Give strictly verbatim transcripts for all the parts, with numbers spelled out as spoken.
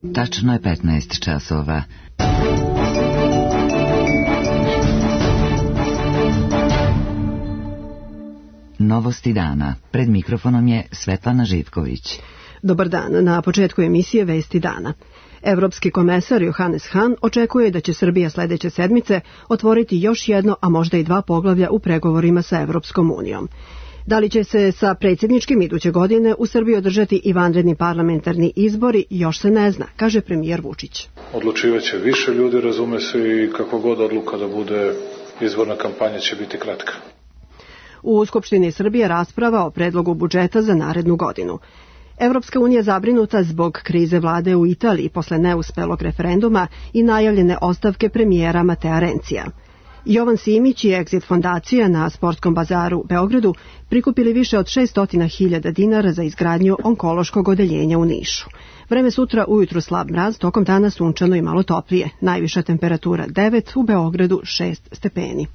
Tačno je petnaest časova. Novosti dana. Pred mikrofonom je Svetlana Živković. Dobar dan. Na početku emisije Vesti dana. Evropski komesar Johannes Hahn očekuje da će Srbija sledeće sedmice otvoriti još jedno, a možda i dva poglavlja u pregovorima sa Evropskom unijom. Da li će se sa predsjedničkim iduće godine u Srbiji održati i vanredni parlamentarni izbori, još se ne zna, kaže premijer Vučić. Odlučivaće više ljudi, razume se, i kako god odluka da bude, izborna kampanja će biti kratka. U Skupštini Srbije rasprava o predlogu budžeta za narednu godinu. Evropska unija zabrinuta zbog krize vlade u Italiji posle neuspelog referenduma i najavljene ostavke premijera Matea Rencija. Jovan Simić i Exit fondacija na Sportskom bazaru u Beogradu prikupili više od šesto hiljada dinara za izgradnju onkološkog odeljenja u Nišu. Vreme sutra ujutru slab mraz, tokom dana sunčano i malo toplije. Najviša temperatura devet, u Beogradu šest stepeni.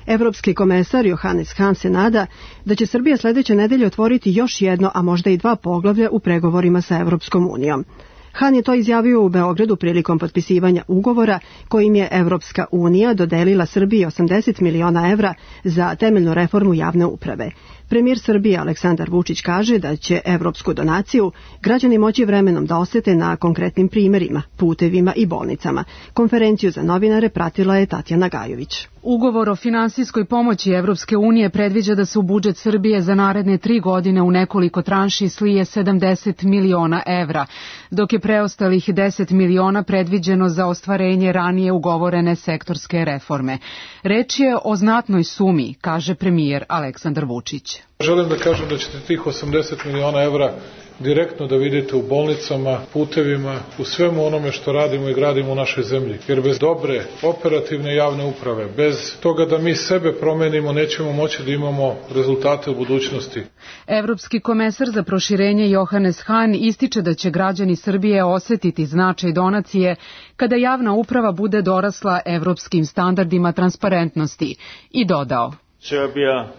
Evropski komesar Johannes Hahn se nada da će Srbija sledeće nedelje otvoriti još jedno, a možda i dva poglavlja u pregovorima sa Evropskom unijom. Hahn je to izjavio u Beogradu prilikom potpisivanja ugovora kojim je Evropska unija dodelila Srbiji osamdeset miliona evra za temeljnu reformu javne uprave. Premijer Srbije Aleksandar Vučić kaže da će evropsku donaciju građani moći vremenom da osete na konkretnim primerima, putevima i bolnicama. Konferenciju za novinare pratila je Tatjana Gajović. Ugovor o finansijskoj pomoći Evropske unije predviđa da se u budžet Srbije za naredne tri godine u nekoliko tranši slije sedamdeset miliona evra, dok je preostalih deset miliona predviđeno za ostvarenje ranije ugovorene sektorske reforme. Reč je o znatnoj sumi, kaže premijer Aleksandar Vučić. Želim da kažem da ćete tih osamdeset miliona evra direktno da vidite u bolnicama, putevima, u svemu onome što radimo i gradimo u našoj zemlji. Jer bez dobre operativne javne uprave, bez toga da mi sebe promenimo, nećemo moći da imamo rezultate u budućnosti. Evropski komesar za proširenje Johannes Hahn ističe da će građani Srbije osetiti značaj donacije kada javna uprava bude dorasla evropskim standardima transparentnosti i dodao. Srbija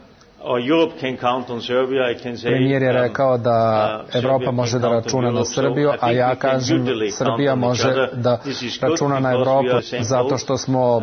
Premijer je rekao da Evropa može da računa na Srbiju, a ja kažem Srbija može da računa na Evropu zato što smo,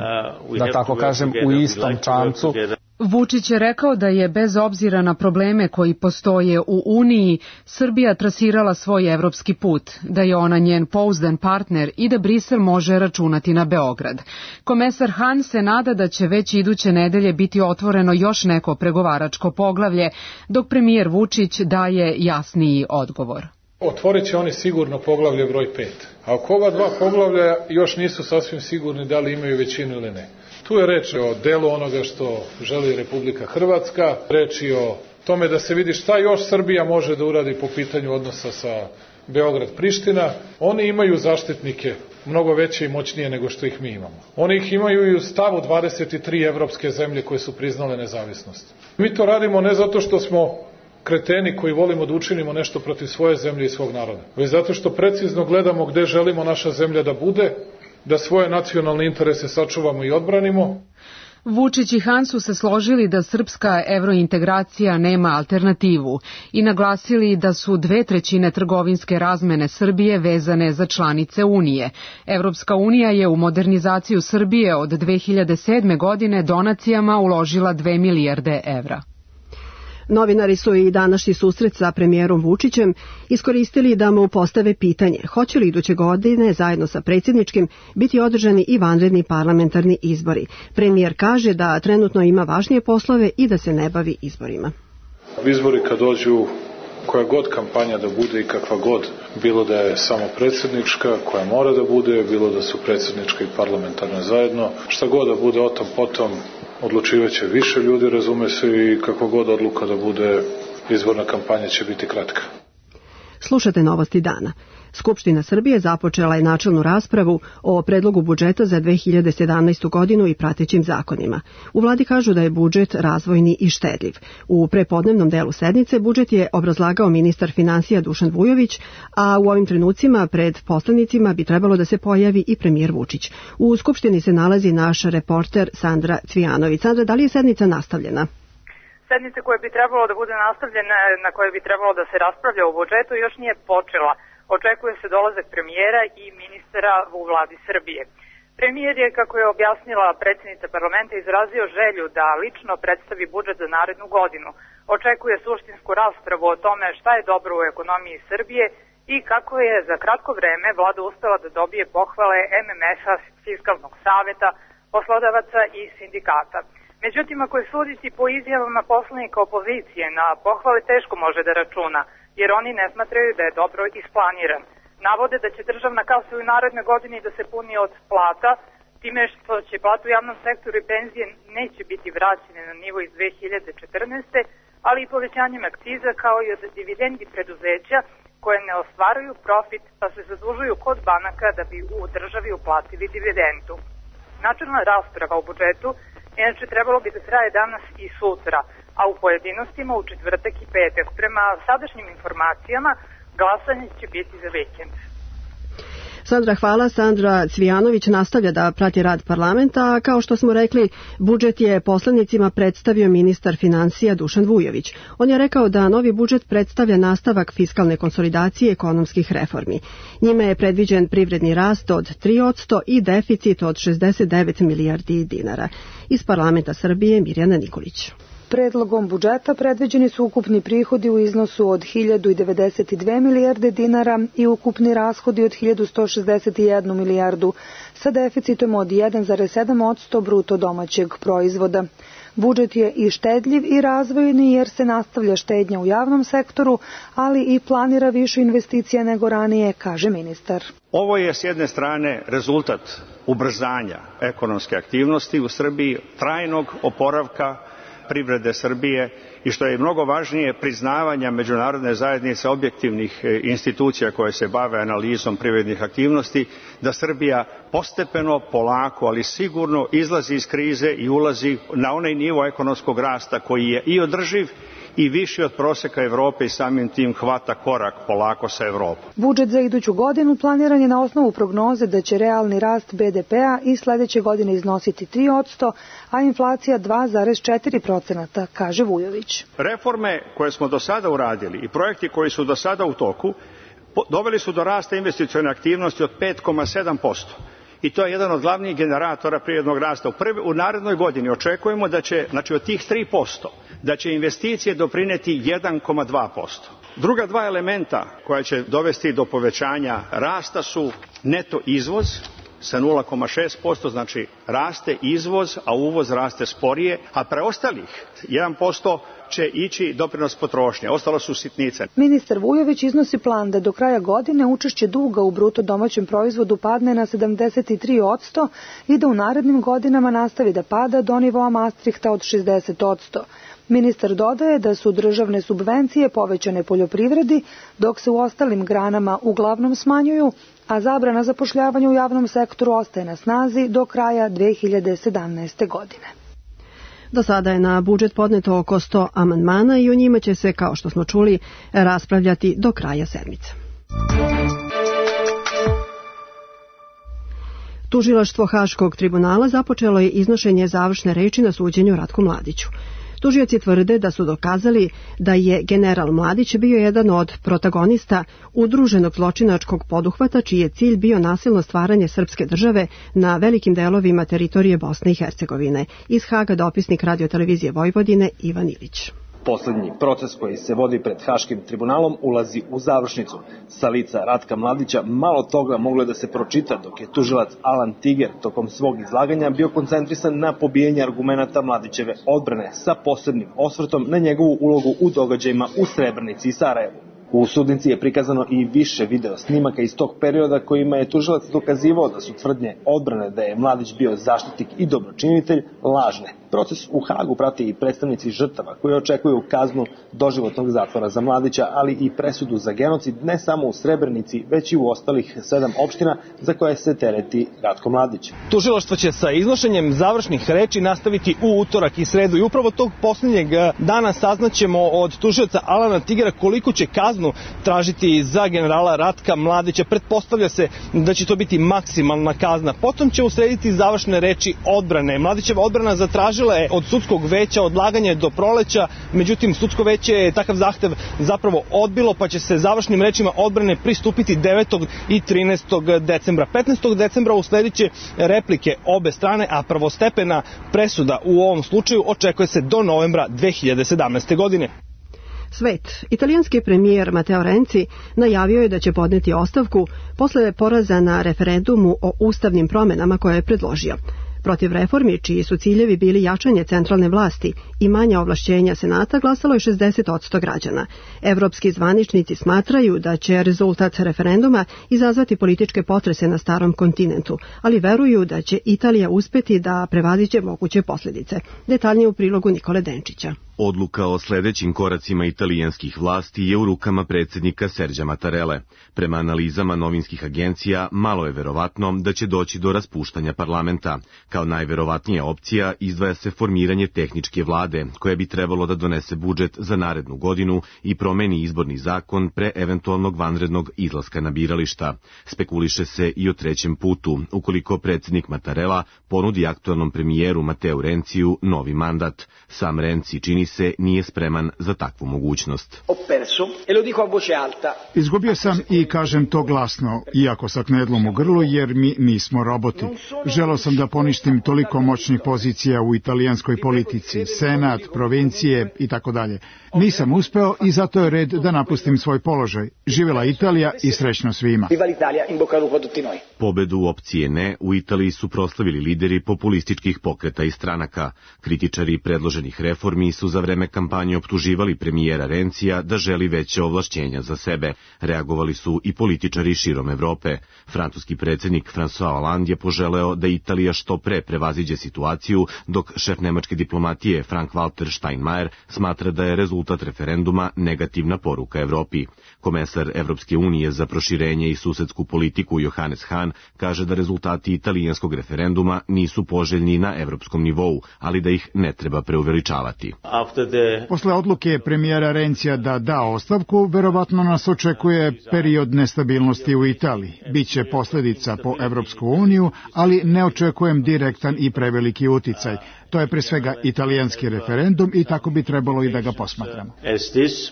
da tako kažem, u istom čamcu. Vučić je rekao da je bez obzira na probleme koji postoje u Uniji, Srbija trasirala svoj evropski put, da je ona njen pouzdan partner i da Brisel može računati na Beograd. Komesar Hahn se nada da će već iduće nedelje biti otvoreno još neko pregovaračko poglavlje, dok premijer Vučić daje jasniji odgovor. Otvorit će oni sigurno poglavlje broj pet. A oko ova dva poglavlja još nisu sasvim sigurni da li imaju većinu ili ne. Tu je reč o delu onoga što želi Republika Hrvatska, reč je o tome da se vidi šta još Srbija može da uradi po pitanju odnosa sa Beograd-Priština. Oni imaju zaštitnike mnogo veće i moćnije nego što ih mi imamo. Oni ih imaju i u stavu dvadeset tri evropske zemlje koje su priznale nezavisnost. Mi to radimo ne zato što smo kreteni koji volimo da učinimo nešto protiv svoje zemlje i svog naroda, već zato što precizno gledamo gde želimo naša zemlja da bude, da svoje nacionalne interese sačuvamo i odbranimo. Vučić i Hahn su se složili da srpska evrointegracija nema alternativu i naglasili da su dve trećine trgovinske razmene Srbije vezane za članice Unije. Evropska unija je u modernizaciju Srbije od dve hiljade sedme. godine donacijama uložila dve milijarde evra. Novinari su i današnji susret sa premijerom Vučićem iskoristili da mu postave pitanje hoće li iduće godine zajedno sa predsjedničkim biti održani i vanredni parlamentarni izbori. Premijer kaže da trenutno ima važnije poslove i da se ne bavi izborima. Izbori kad dođu, koja god kampanja da bude i kakva god, bilo da je samo predsjednička, koja mora da bude, bilo da su predsjednička i parlamentarna zajedno, šta god da bude o tom potom, odlučivaće više ljudi, razume se, i kako god odluka da bude, izborna kampanja će biti kratka. Slušate Novosti dana. Skupština Srbije započela je načelnu raspravu o predlogu budžeta za dve hiljade sedamnaestu. godinu i pratećim zakonima. U vladi kažu da je budžet razvojni i štedljiv. U prepodnevnom delu sednice budžet je obrazlagao ministar finansija Dušan Vujović, a u ovim trenucima pred poslanicima bi trebalo da se pojavi i premijer Vučić. U Skupštini se nalazi naš reporter Sandra Cvijanović. Sandra, da li je sednica nastavljena? Sednica koja bi trebalo da bude nastavljena, na kojoj bi trebalo da se raspravlja o budžetu, još nije počela. Očekuje se dolazak premijera i ministara u vladi Srbije. Premijer je, kako je objasnila predsjednica parlamenta, izrazio želju da lično predstavi budžet za narednu godinu. Očekuje suštinsku raspravu o tome šta je dobro u ekonomiji Srbije i kako je za kratko vreme vlada uspela da dobije pohvale M M F-a, Fiskalnog saveta, poslodavaca i sindikata. Međutim, ako je suditi po izjavama poslanika opozicije, na pohvale teško može da računa, jer oni ne smatraju da je dobro isplaniran. Navode da će državna kasa u narednoj godini da se puni od plata, time što će plate u javnom sektoru i penzije neće biti vraćene na nivo iz dve hiljade četrnaeste. ali i povećanjem akciza kao i od dividendi preduzeća koje ne ostvaruju profit pa se zadužuju kod banaka da bi u državi uplatili dividendu. Načelna rasprava o budžetu inače trebalo bi da traje danas i sutra, a u pojedinostima u četvrtak i petak. Prema sadašnjim informacijama glasanje će biti za vikend. Sandra, hvala. Sandra Cvijanović nastavlja da prati rad parlamenta, a kao što smo rekli, budžet je poslanicima predstavio ministar finansija Dušan Vujović. On je rekao da novi budžet predstavlja nastavak fiskalne konsolidacije ekonomskih reformi. Njime je predviđen privredni rast od tri posto i deficit od šezdeset devet milijardi dinara. Iz parlamenta Srbije Mirjana Nikolić. Predlogom budžeta predviđeni su ukupni prihodi u iznosu od hiljadu devedeset dve milijarde dinara i ukupni rashodi od hiljadu sto šezdeset jednu milijardu sa deficitom od jedan zarez sedam posto bruto domaćeg proizvoda. Budžet je i štedljiv i razvojni jer se nastavlja štednja u javnom sektoru, ali i planira više investicija nego ranije, kaže ministar. Ovo je s jedne strane rezultat ubrzanja ekonomske aktivnosti u Srbiji, trajnog oporavka privrede Srbije i što je mnogo važnije priznavanja međunarodne zajednice objektivnih institucija koje se bave analizom privrednih aktivnosti, da Srbija postepeno, polako, ali sigurno izlazi iz krize i ulazi na onaj nivo ekonomskog rasta koji je i održiv i viši od proseka Evrope i samim tim hvata korak polako sa Evropom. Budžet za iduću godinu planiran je na osnovu prognoze da će realni rast be de pea i sledeće godine iznositi tri posto, a inflacija dva zarez četiri posto, kaže Vujović. Reforme koje smo do sada uradili i projekti koji su do sada u toku doveli su do rasta investicione aktivnosti od pet zarez sedam posto. I to je jedan od glavnih generatora privrednog rasta. U, prvi, u narednoj godini očekujemo da će, znači od tih tri posto, da će investicije doprineti jedan zarez dva posto. Druga dva elementa koja će dovesti do povećanja rasta su neto izvoz sa nula zarez šest posto, znači raste izvoz, a uvoz raste sporije, a preostalih jedan posto će ići doprinos potrošnje. Ostalo su sitnice. Ministar Vujović iznosi plan da do kraja godine učešće duga u bruto domaćem proizvodu padne na sedamdeset tri posto i da u narednim godinama nastavi da pada do nivoa Maastrichta od šezdeset posto. Ministar dodaje da su državne subvencije povećane poljoprivredi, dok se u ostalim granama uglavnom smanjuju, a zabrana zapošljavanja u javnom sektoru ostaje na snazi do kraja dve hiljade sedamnaeste. godine. Do sada je na budžet podneto oko sto amandmana i o njima će se, kao što smo čuli, raspravljati do kraja sedmice. Tužilaštvo Haškog tribunala započelo je iznošenje završne reči na suđenju Ratku Mladiću. Tužioci tvrde da su dokazali da je general Mladić bio jedan od protagonista udruženog zločinačkog poduhvata čiji je cilj bio nasilno stvaranje srpske države na velikim delovima teritorije Bosne i Hercegovine. Iz Haga dopisnik Radio-televizije Vojvodine Ivan Ilić. Poslednji proces koji se vodi pred Haškim tribunalom ulazi u završnicu. Sa lica Ratka Mladića malo toga moglo da se pročita dok je tužilac Alan Tiger tokom svog izlaganja bio koncentrisan na pobijanje argumenata Mladićeve odbrane sa posebnim osvrtom na njegovu ulogu u događajima u Srebrenici i Sarajevu. U sudnici je prikazano i više video snimaka iz tog perioda kojima je tužilac dokazivao da su tvrdnje odbrane da je Mladić bio zaštitnik i dobročinitelj lažne. Proces u Hagu prati i predstavnici žrtava koji očekuju kaznu doživotnog zatvora za Mladića, ali i presudu za genocid ne samo u Srebrenici, već i u ostalih sedam opština za koje se tereti Ratko Mladić. Tužilaštvo će sa iznošenjem završnih reči nastaviti u utorak i sredu i upravo tog posljednjeg dana saznaćemo od tužioca Alana Tigera koliko će kaznu kaznu tražiti za generala Ratka Mladića. Pretpostavlja se da će to biti maksimalna kazna. Potom će uslediti završne reči odbrane. Mladićeva odbrana zatražila je od sudskog veća odlaganje do proleća, međutim sudsko veće je takav zahtev zapravo odbilo, pa će se završnim rečima odbrane pristupiti devetog i trinaestog decembra. petnaestog decembra usledit će replike obe strane, a prvostepena presuda u ovom slučaju očekuje se do novembra dve hiljade sedamnaeste. godine. Svet. Italijanski premijer Matteo Renzi najavio je da će podneti ostavku posle poraza na referendumu o ustavnim promenama koje je predložio. Protiv reformi, čiji su ciljevi bili jačanje centralne vlasti i manja ovlašćenja Senata, glasalo je šezdeset posto građana. Evropski zvaničnici smatraju da će rezultat referenduma izazvati političke potrese na starom kontinentu, ali veruju da će Italija uspeti da prevaziđe moguće posljedice. Detaljnije u prilogu Nikole Denčića. Odluka o sledećim koracima italijanskih vlasti je u rukama predsjednika Serđa Mattarelle. Prema analizama novinskih agencija, malo je verovatno da će doći do raspuštanja parlamenta. Kao najverovatnija opcija izdvaja se formiranje tehničke vlade, koja bi trebalo da donese budžet za narednu godinu i promeni izborni zakon pre eventualnog vanrednog izlaska na birališta. Spekuliše se i o trećem putu, ukoliko predsjednik Mattarella ponudi aktualnom premijeru Matteu Renziju novi mandat. Sam Renzi čini se nije spreman za takvu mogućnost. Izgubio sam i kažem to glasno, iako sa knedlom u grlu, jer mi nismo roboti. Želeo sam da poništim toliko moćnih pozicija u italijanskoj politici, senat, provincije i tako dalje. Nisam uspeo i zato je red da napustim svoj položaj. Živela Italija i srećno svima. Pobedu opcije ne u Italiji su proslavili lideri populističkih pokreta i stranaka. Kritičari predloženih reformi su za vreme kampanje optuživali premijera Renzija da želi veće ovlašćenja za sebe. Reagovali su i političari širom Evrope. Francuski predsjednik François Hollande je poželeo da Italija što pre prevaziđe situaciju, dok šef nemačke diplomatije Frank-Walter Steinmeier smatra da je rezultat referenduma negativna poruka Evropi. Komesar Evropske unije za proširenje i susedsku politiku Johannes Hahn kaže da rezultati italijanskog referenduma nisu poželjni na evropskom nivou, ali da ih ne treba preuveličavati. Posle odluke premijera Renzija da da ostavku, verovatno nas očekuje period nestabilnosti u Italiji. Biće posljedica po Evropsku uniju, ali ne očekujem direktan i preveliki uticaj. To je pre svega italijanski referendum i tako bi trebalo i da ga posmatramo.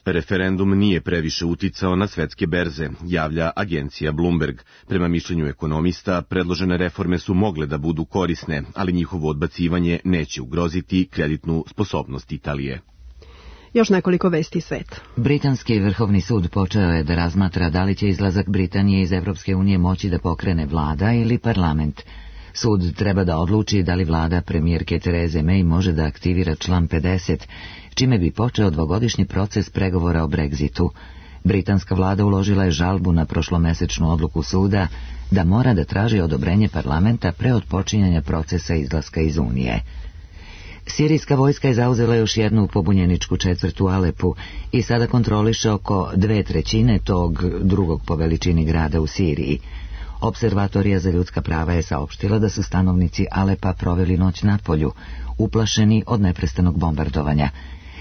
Referendum nije previše uticao na svetske berze, javlja agencija Bloomberg. Prema mišljenju ekonomista, predložene reforme su mogle da budu korisne, ali njihovo odbacivanje neće ugroziti kreditnu sposobnost Italije. Još nekoliko vesti sveta. Britanski vrhovni sud počeo je da razmatra da li će izlazak Britanije iz Evropske unije moći da pokrene vlada ili parlament. Sud treba da odluči da li vlada premijerke Therese May može da aktivira član pedeset, čime bi počeo dvogodišnji proces pregovora o Brexitu. Britanska vlada uložila je žalbu na prošlomesečnu odluku suda da mora da traži odobrenje parlamenta pre otpočinjanja procesa izlaska iz Unije. Sirijska vojska je zauzela još jednu pobunjeničku četvrt u Alepu i sada kontroliše oko dve trećine tog drugog po veličini grada u Siriji. Observatorija za ljudska prava je saopštila da su stanovnici Alepa proveli noć na polju, uplašeni od neprestanog bombardovanja.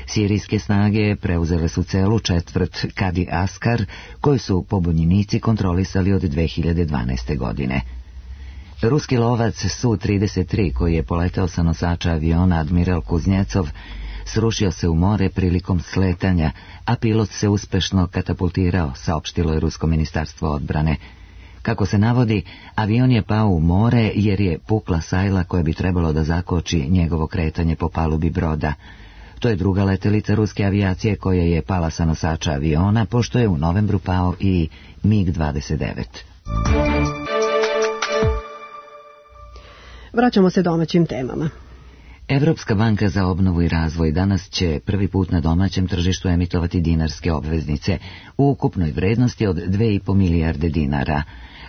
Sirijske snage preuzele su celu četvrt Kadi Askar, koju su pobunjenici kontrolisali od dve hiljade dvanaeste. godine. Ruski lovac Su trideset tri, koji je poletao sa nosača aviona Admiral Kuznjecov, srušio se u more prilikom sletanja, a pilot se uspešno katapultirao, saopštilo je Rusko ministarstvo odbrane. Kako se navodi, avion je pao u more jer je pukla sajla koja bi trebalo da zakoči njegovo kretanje po palubi broda. To je druga letelica ruske avijacije koja je pala sa nosača aviona, pošto je u novembru pao i mig dvadeset devet. Vraćamo se domaćim temama. Evropska banka za obnovu i razvoj danas će prvi put na domaćem tržištu emitovati dinarske obveznice u ukupnoj vrednosti od dve i po milijarde dinara.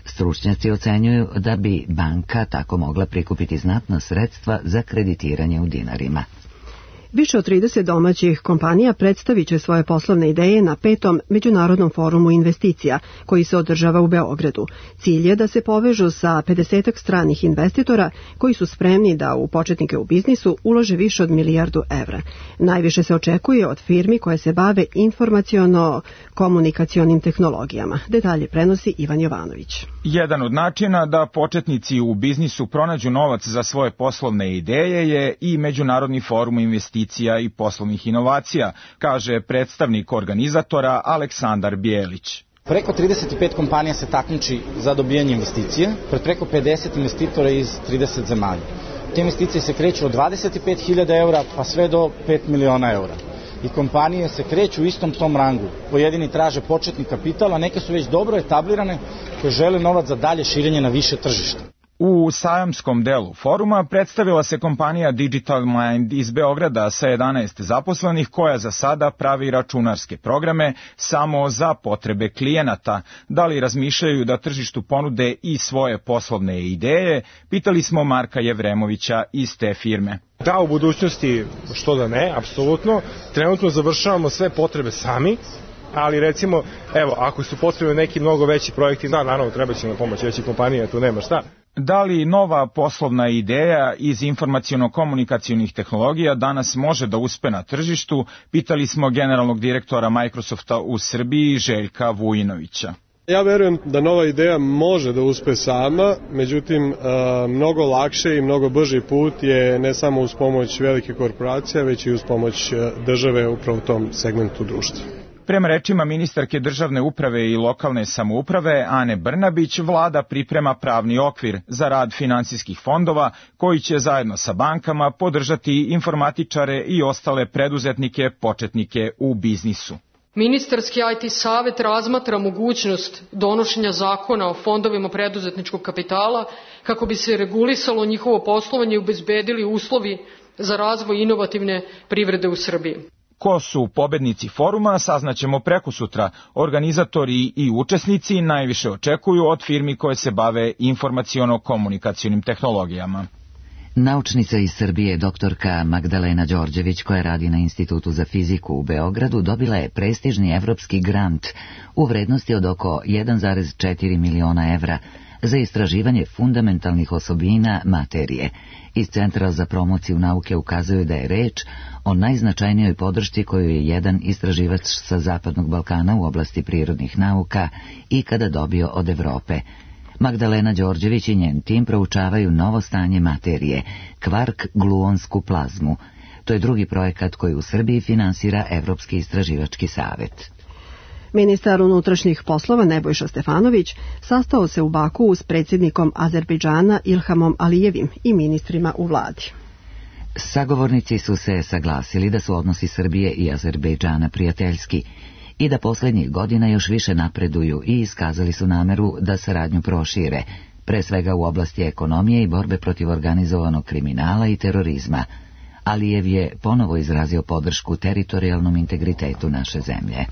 Stručnjaci ocenjuju da bi banka tako mogla prikupiti znatna sredstva za kreditiranje u dinarima. Više od trideset domaćih kompanija predstavit će svoje poslovne ideje na petom Međunarodnom forumu investicija, koji se održava u Beogradu. Cilj je da se povežu sa pedesetak stranih investitora koji su spremni da u početnike u biznisu ulože više od milijardu evra. Najviše se očekuje od firmi koje se bave informaciono-komunikacionim tehnologijama. Detalje prenosi Ivan Jovanović. Jedan od načina da početnici u biznisu pronađu novac za svoje poslovne ideje je i Međunarodni forum investicija i poslovnih inovacija, kaže predstavnik organizatora Aleksandar Bijelić. Preko trideset pet kompanija se takmiči za dobijanje investicije, pred preko pedeset investitora iz trideset zemalja. Te investicije se kreću od dvadeset pet hiljada eura pa sve do pet miliona eura. I kompanije se kreću u istom tom rangu. Pojedini traže početni kapital, a neke su već dobro etablirane koje žele novac za dalje širenje na više tržišta. U sajamskom delu foruma predstavila se kompanija Digital Mind iz Beograda sa jedanaest zaposlenih koja za sada pravi računarske programe samo za potrebe klijenata. Da li razmišljaju da tržištu ponude i svoje poslovne ideje? Pitali smo Marka Jevremovića iz te firme. Da, u budućnosti što da ne, apsolutno. Trenutno završavamo sve potrebe sami, ali recimo, evo, ako su potrebni neki mnogo veći projekti, da, naravno, treba će nam pomoći veći kompanija, tu nema šta. Da li nova poslovna ideja iz informaciono-komunikacionih tehnologija danas može da uspe na tržištu, pitali smo generalnog direktora Microsofta u Srbiji, Željka Vujinovića. Ja verujem da nova ideja može da uspe sama, međutim, mnogo lakše i mnogo brži put je ne samo uz pomoć velike korporacije, već i uz pomoć države upravo u tom segmentu društva. Prema rečima ministarke državne uprave i lokalne samouprave Ane Brnabić, vlada priprema pravni okvir za rad finansijskih fondova koji će zajedno sa bankama podržati informatičare i ostale preduzetnike, početnike u biznisu. Ministarski I T savet razmatra mogućnost donošenja zakona o fondovima preduzetničkog kapitala kako bi se regulisalo njihovo poslovanje i obezbedili uslovi za razvoj inovativne privrede u Srbiji. Ko su pobednici foruma, saznaćemo prekosutra. Organizatori i učesnici najviše očekuju od firmi koje se bave informaciono-komunikacionim tehnologijama. Naučnica iz Srbije, doktorka Magdalena Đorđević, koja radi na Institutu za fiziku u Beogradu, dobila je prestižni evropski grant u vrednosti od oko jedan zarez četiri miliona evra za istraživanje fundamentalnih osobina materije. Iz Centra za promociju nauke ukazuju da je reč o najznačajnijoj podršci koju je jedan istraživač sa Zapadnog Balkana u oblasti prirodnih nauka ikada dobio od Evrope. Magdalena Đorđević i njen tim proučavaju novo stanje materije, kvark-gluonsku plazmu. To je drugi projekat koji u Srbiji finansira Evropski istraživački savet. Ministar unutrašnjih poslova Nebojša Stefanović sastao se u Baku s predsjednikom Azerbejdžana Ilhamom Alijevim i ministrima u vladi. Sagovornici su se saglasili da su odnosi Srbije i Azerbejdžana prijateljski i da posljednjih godina još više napreduju i iskazali su nameru da saradnju prošire, pre svega u oblasti ekonomije i borbe protiv organizovanog kriminala i terorizma. Alijev je ponovo izrazio podršku teritorijalnom integritetu naše zemlje.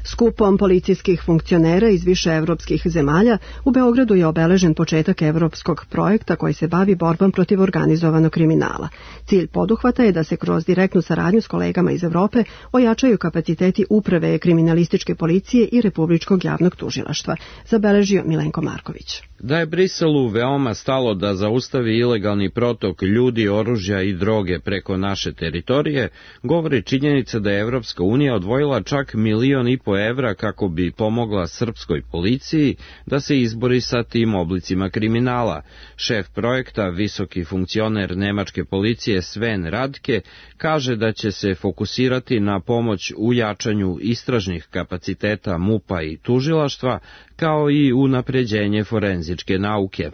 Skupom policijskih funkcionera iz više evropskih zemalja u Beogradu je obeležen početak evropskog projekta koji se bavi borbom protiv organizovanog kriminala. Cilj poduhvata je da se kroz direktnu saradnju s kolegama iz Evrope ojačaju kapaciteti uprave kriminalističke policije i Republičkog javnog tužilaštva, zabeležio Milenko Marković. Da je Briselu veoma stalo da zaustavi ilegalni protok ljudi, oružja i droge preko naše teritorije, govori činjenica da je Evropska unija odvojila čak milion i po evra kako bi pomogla srpskoj policiji da se izbori sa tim oblicima kriminala. Šef projekta, visoki funkcioner nemačke policije Sven Radke, kaže da će se fokusirati na pomoć u jačanju istražnih kapaciteta MUP-a i tužilaštva, kao i unapređenje forenzičke nauke.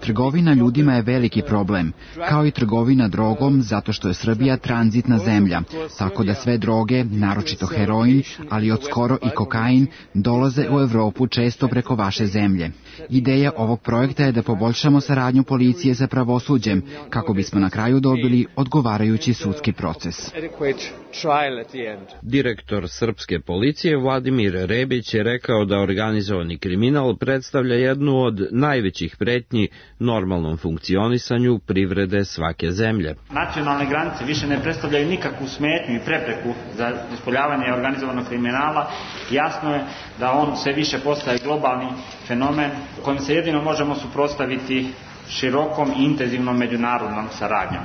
Trgovina ljudima je veliki problem, kao i trgovina drogom, zato što je Srbija tranzitna zemlja, tako da sve droge, naročito naročito heroin, ali od skoro i kokain, dolaze u Evropu često preko vaše zemlje. Ideja ovog projekta je da poboljšamo saradnju policije sa pravosuđem, kako bismo na kraju dobili odgovarajući sudski proces. Direktor srpske policije Vladimir Rebić je rekao da organizovani kriminal predstavlja jednu od najvećih pretnji normalnom funkcionisanju privrede svake zemlje. Nacionalne granice više ne predstavljaju nikakvu smetnju i prepreku za ispoljavanje organizovanog kriminala. Jasno je da on sve više postaje globalni fenomen kojim se jedino možemo suprotstaviti širokom i intenzivnom međunarodnom saradnjom.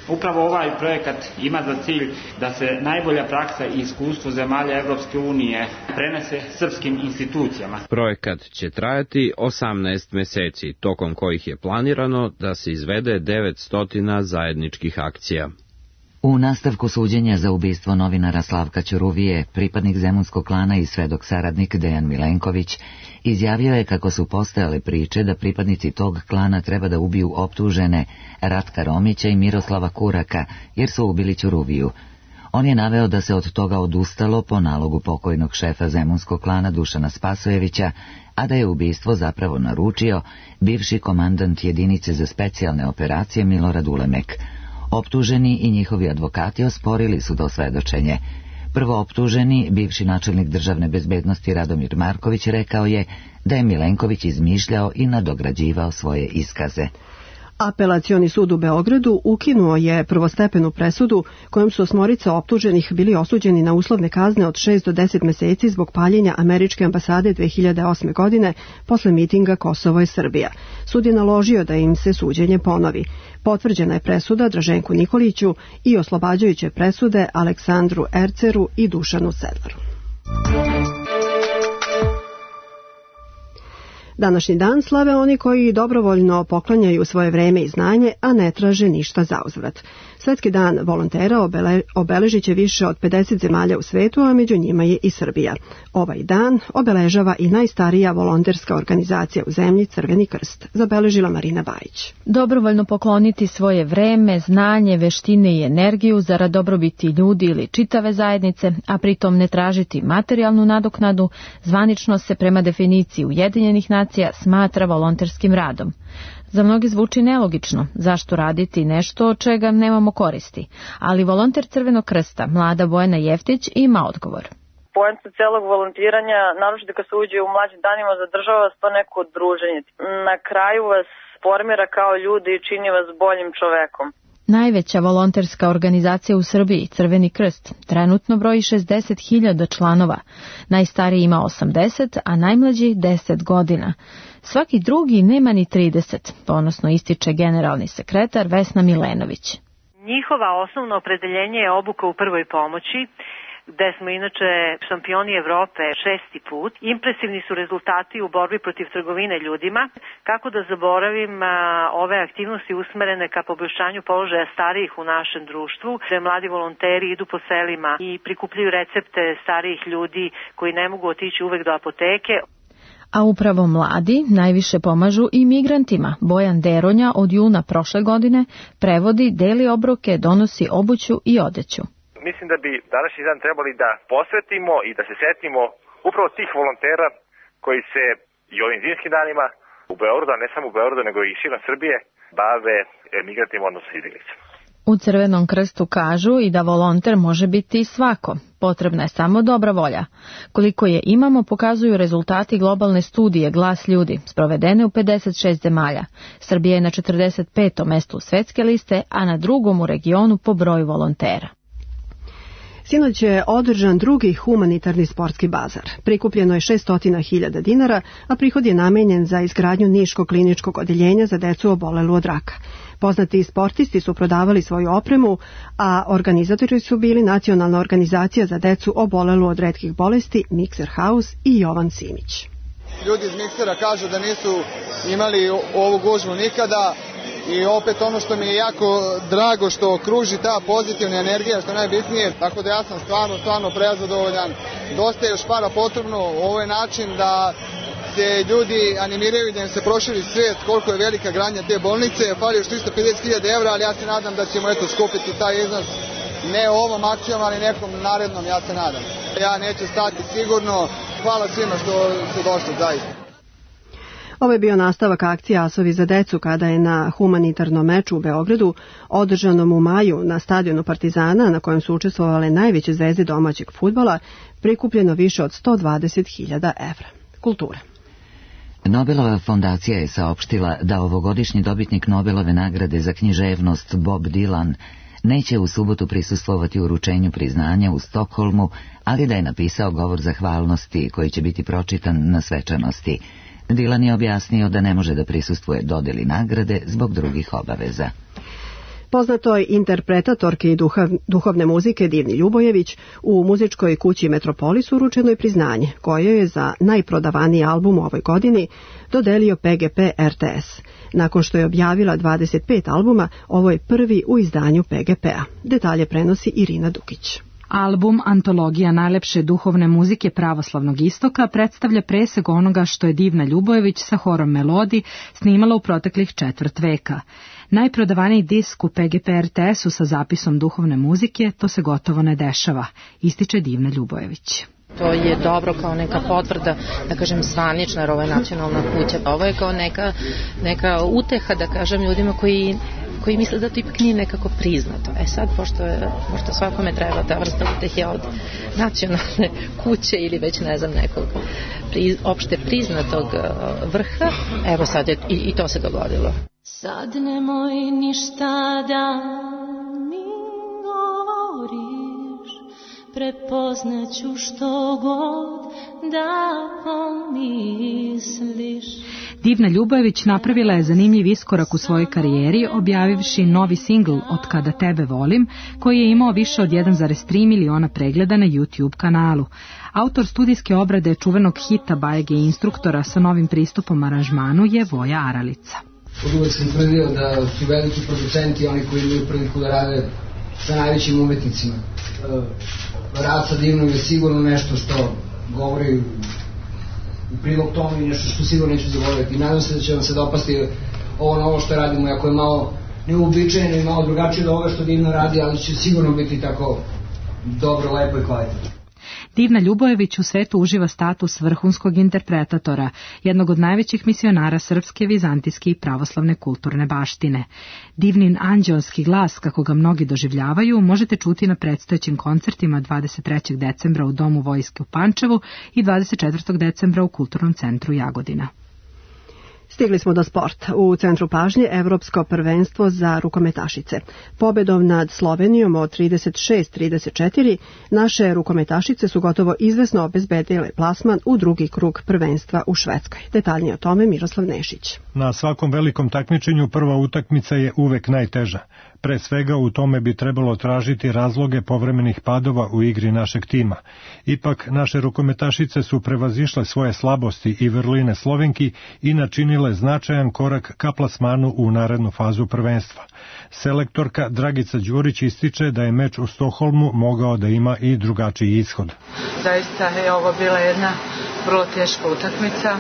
Upravo ovaj projekat ima za cilj da se najbolja praksa i iskustvo zemalja Evropske unije prenese srpskim institucijama. Projekat će trajati osamnaest meseci, tokom kojih je planirano da se izvede devetsto zajedničkih akcija. U nastavku suđenja za ubistvo novinara Slavka Ćuruvije, pripadnik zemunskog klana i svedok saradnik Dejan Milenković izjavio je kako su postojale priče da pripadnici tog klana treba da ubiju optužene Ratka Romića i Miroslava Kuraka, jer su ubili Ćuruviju. On je naveo da se od toga odustalo po nalogu pokojnog šefa zemunskog klana Dušana Spasojevića, a da je ubistvo zapravo naručio bivši komandant jedinice za specijalne operacije Milorad Ulemek. Optuženi i njihovi advokati osporili su to svedočenje. Prvo optuženi, bivši načelnik državne bezbednosti Radomir Marković, rekao je da je Milenković izmišljao i nadograđivao svoje iskaze. Apelacioni sud u Beogradu ukinuo je prvostepenu presudu kojom su osmorica optuženih bili osuđeni na uslovne kazne od šest do deset meseci zbog paljenja američke ambasade dve hiljade osme. godine posle mitinga Kosovo je Srbija. Sud je naložio da im se suđenje ponovi. Potvrđena je presuda Draženku Nikoliću i oslobađajuće presude Aleksandru Erceru i Dušanu Sedlaru. Današnji dan slave oni koji dobrovoljno poklanjaju svoje vreme i znanje, a ne traže ništa zauzvrat. Svetski dan volontera obele, obeležit će više od pedeset zemalja u svetu, a među njima je i Srbija. Ovaj dan obeležava i najstarija volonterska organizacija u zemlji, Crveni krst, zabeležila Marina Bajić. Dobrovoljno pokloniti svoje vreme, znanje, veštine i energiju zarad dobrobiti ljudi ili čitave zajednice, a pritom ne tražiti materijalnu nadoknadu, zvanično se prema definiciji Ujedinjenih nacija smatra volonterskim radom. Za mnoge zvuči nelogično, zašto raditi nešto od čega nemamo koristi, ali volonter Crvenog krsta, mlada Bojana Jeftić, ima odgovor. Poenta celog volontiranja, naročito kad se uđe u mlađim danima, zadržava vas to neko druženje. Na kraju vas formira kao ljudi i čini vas boljim čovekom. Najveća volonterska organizacija u Srbiji, Crveni krst, trenutno broji šezdeset hiljada članova. Najstariji ima osamdeset, a najmlađi deset godina. Svaki drugi nema ni trideset, ponosno ističe generalni sekretar Vesna Milenović. Njihova osnovno opredeljenje je obuka u prvoj pomoći, gde smo inače šampioni Evrope šesti put. Impresivni su rezultati u borbi protiv trgovine ljudima. Kako da zaboravim a, ove aktivnosti usmerene ka poboljšanju položaja starijih u našem društvu, gde mladi volonteri idu po selima i prikupljaju recepte starijih ljudi koji ne mogu otići uvek do apoteke. A upravo mladi najviše pomažu i migrantima. Bojan Deronja od juna prošle godine prevodi, deli obroke, donosi obuću i odeću. Mislim da bi današnji dan trebali da posvetimo i da se setimo upravo tih volontera koji se i ovim zimskim danima u Beogradu, a ne samo u Beogradu, nego i širom Srbije, bave migrantima, odnosno izbjeglicama. U Crvenom krstu kažu i da volonter može biti svako. Potrebna je samo dobra volja. Koliko je imamo pokazuju rezultati globalne studije Glas ljudi, sprovedene u pedeset šest zemalja. Srbija je na četrdeset petom mestu svetske liste, a na drugom u regionu po broju volontera. Sinoć je održan drugi humanitarni sportski bazar. Prikupljeno je šesto hiljada dinara, a prihod je namenjen za izgradnju Niškog kliničkog odeljenja za decu obolelu od raka. Poznati sportisti su prodavali svoju opremu, a organizatori su bili Nacionalna organizacija za decu obolelu od retkih bolesti, Mikser House i Jovan Simić. Ljudi iz Miksera kažu da nisu imali ovu gužvu nikada. I opet ono što mi je jako drago što kruži ta pozitivna energija, što je najbitnije, tako da ja sam stvarno, stvarno prezadovoljan. Dosta je još para potrebno, ovo je način da se ljudi animiraju, da im se proširi svijet koliko je velika gradnja te bolnice. Fali još tristo pedeset hiljada evra, ali ja se nadam da ćemo eto skupiti taj iznos ne ovom akcijom, ali nekom narednom, ja se nadam. Ja neću stati sigurno. Hvala svima što su došli, zaista. Ovo je bio nastavak akcije Asovi za decu kada je na humanitarnom meču u Beogradu, održanom u maju na stadionu Partizana, na kojem su učestvovale najveće zvezde domaćeg fudbala, prikupljeno više od sto dvadeset hiljada evra. Kultura. Nobelova fondacija je saopštila da ovogodišnji dobitnik Nobelove nagrade za književnost Bob Dylan neće u subotu prisustvovati uručenju priznanja u Stokholmu, ali da je napisao govor zahvalnosti koji će biti pročitan na svečanosti. Dylan je objasnio da ne može da prisustvuje dodeli nagrade zbog drugih obaveza. Poznatoj interpretatorki duhav, duhovne muzike Divni Ljubojević u muzičkoj kući Metropolis uručeno je priznanje koje je za najprodavaniji album u ovoj godini dodelio P G P R T S. Nakon što je objavila dvadeset pet albuma, ovo je prvi u izdanju P G P-a. Detalje prenosi Irina Dukić. Album Antologija najlepše duhovne muzike pravoslavnog istoka predstavlja presek onoga što je Divna Ljubojević sa horom Melodi snimala u proteklih četvrt veka. Najprodavaniji disk u P G P R T S-u sa zapisom duhovne muzike, to se gotovo ne dešava, ističe Divna Ljubojević. To je dobro kao neka potvrda, da kažem, zvanična, jer ovo je nacionalna kuća. Ovo je kao neka, neka uteha, da kažem, ljudima koji, koji misle da to ipak nije nekako priznato. E sad, pošto, je, pošto svakome treba ta vrsta utehe od nacionalne kuće ili već ne znam nekog pri, opšte priznatog vrha, evo sad je i, i to se dogodilo. Sad nemoj ništa da mi govoriš, prepoznaću što god da pomisliš. Divna Ljubojević napravila je zanimljiv iskorak u svojoj karijeri objavivši novi singl Od kada tebe volim, koji je imao više od jedan zarez tri miliona pregleda na YouTube kanalu. Autor studijske obrade čuvenog hita Bajege i instruktora sa novim pristupom aranžmanu je Voja Aralica. Od uvek sam tvrdio da su veliki producenti oni koji imaju priliku da rade sa najvećim umetnicima. Rad sa Divnom je sigurno nešto što govori u prilog tome i nešto što sigurno neću zaboraviti. I nadam se da će vam se dopasti ovo novo što radimo, iako je malo neuobičajeno i malo drugačije od ovoga što Divna radi, ali će sigurno biti tako dobro, lepo i kvalitetno. Divna Ljubojević u svetu uživa status vrhunskog interpretatora, jednog od najvećih misionara srpske, vizantijske i pravoslavne kulturne baštine. Divnin anđeonski glas, kako ga mnogi doživljavaju, možete čuti na predstojećim koncertima dvadeset trećeg decembra u Domu vojske u Pančevu i dvadeset četvrtog decembra u Kulturnom centru Jagodina. Stigli smo do sporta. U centru pažnje Evropsko prvenstvo za rukometašice. Pobedom nad Slovenijom od trideset šest trideset četiri naše rukometašice su gotovo izvesno obezbedile plasman u drugi krug prvenstva u Švedskoj. Detaljnije o tome Miroslav Nešić. Na svakom velikom takmičenju prva utakmica je uvek najteža. Pre svega u tome bi trebalo tražiti razloge povremenih padova u igri našeg tima. Ipak naše rukometašice su prevazišle svoje slabosti i vrline Slovenki i načinile značajan korak ka plasmanu u narednu fazu prvenstva. Selektorka Dragica Đurić ističe da je meč u Stokholmu mogao da ima i drugačiji ishod. Zaista je ovo bila jedna vrlo teška utakmica.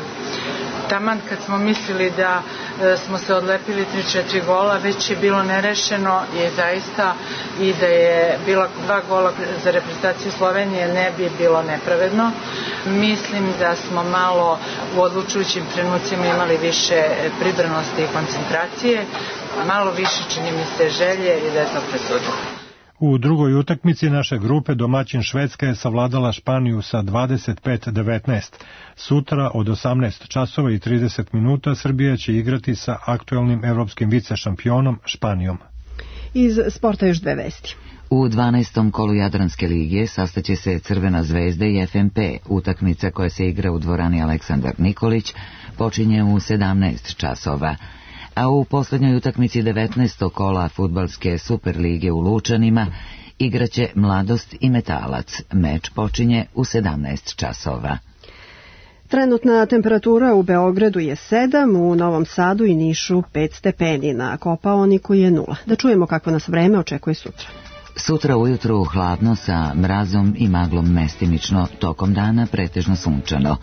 Taman kad smo mislili da e, smo se odlepili tri četiri gola, već je bilo nerešeno i zaista i da je bila dva gola za reprezentaciju Slovenije ne bi bilo nepravedno. Mislim da smo malo u odlučujućim trenucima imali više pribranosti i koncentracije, malo više čini mi se želje i da je to presudilo. U drugoj utakmici naše grupe domaćin Švedska je savladala Španiju sa dvadeset pet devetnaest. Sutra od osamnaest časova i trideset minuta Srbija će igrati sa aktuelnim evropskim vicešampionom Španijom. Iz sporta još dve vesti. U dvanaestom kolu Jadranske lige sastaće se Crvena zvezda i F M P. Utakmica koja se igra u dvorani Aleksandar Nikolić počinje u sedamnaest časova. A u poslednjoj utakmici devetnaestog kola fudbalske Superlige u Lučanima igraće Mladost i Metalac. Meč počinje u sedamnaest časova. Trenutna temperatura u Beogradu je sedam, u Novom Sadu i Nišu pet stepeni, na Kopaoniku je nula. Da čujemo kako nas vreme očekuje sutra. Sutra ujutru hladno sa mrazom i maglom mestimično, tokom dana pretežno sunčano.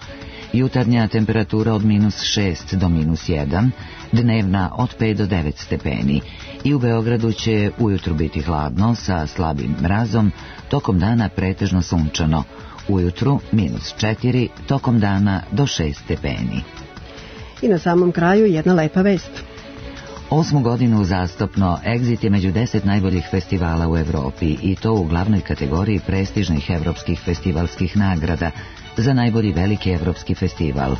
Jutarnja temperatura od minus šest do minus jedan, dnevna od pet do devet stepeni. I u Beogradu će ujutru biti hladno sa slabim mrazom, tokom dana pretežno sunčano. Ujutru minus četiri, tokom dana do šest stepeni. I na samom kraju jedna lepa vest. Osmu godinu uzastopno Exit je među deset najboljih festivala u Evropi i to u glavnoj kategoriji prestižnih evropskih festivalskih nagrada za najbolji veliki evropski festival.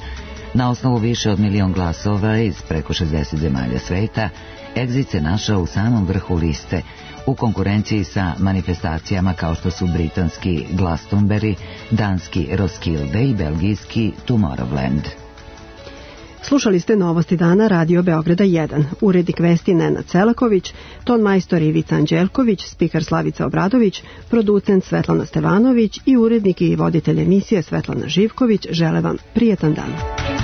Na osnovu više od milion glasova iz preko šezdeset zemalja sveta, Exit se našao u samom vrhu liste, u konkurenciji sa manifestacijama kao što su britanski Glastonbury, danski Roskilde i belgijski Tomorrowland. Slušali ste Novosti dana Radio Beograda jedan. Urednik vesti Nenad Celaković, ton majstor Ivica Anđelković, spiker Slavica Obradović, producent Svetlana Stevanović i urednik i voditelj emisije Svetlana Živković žele vam prijetan dan.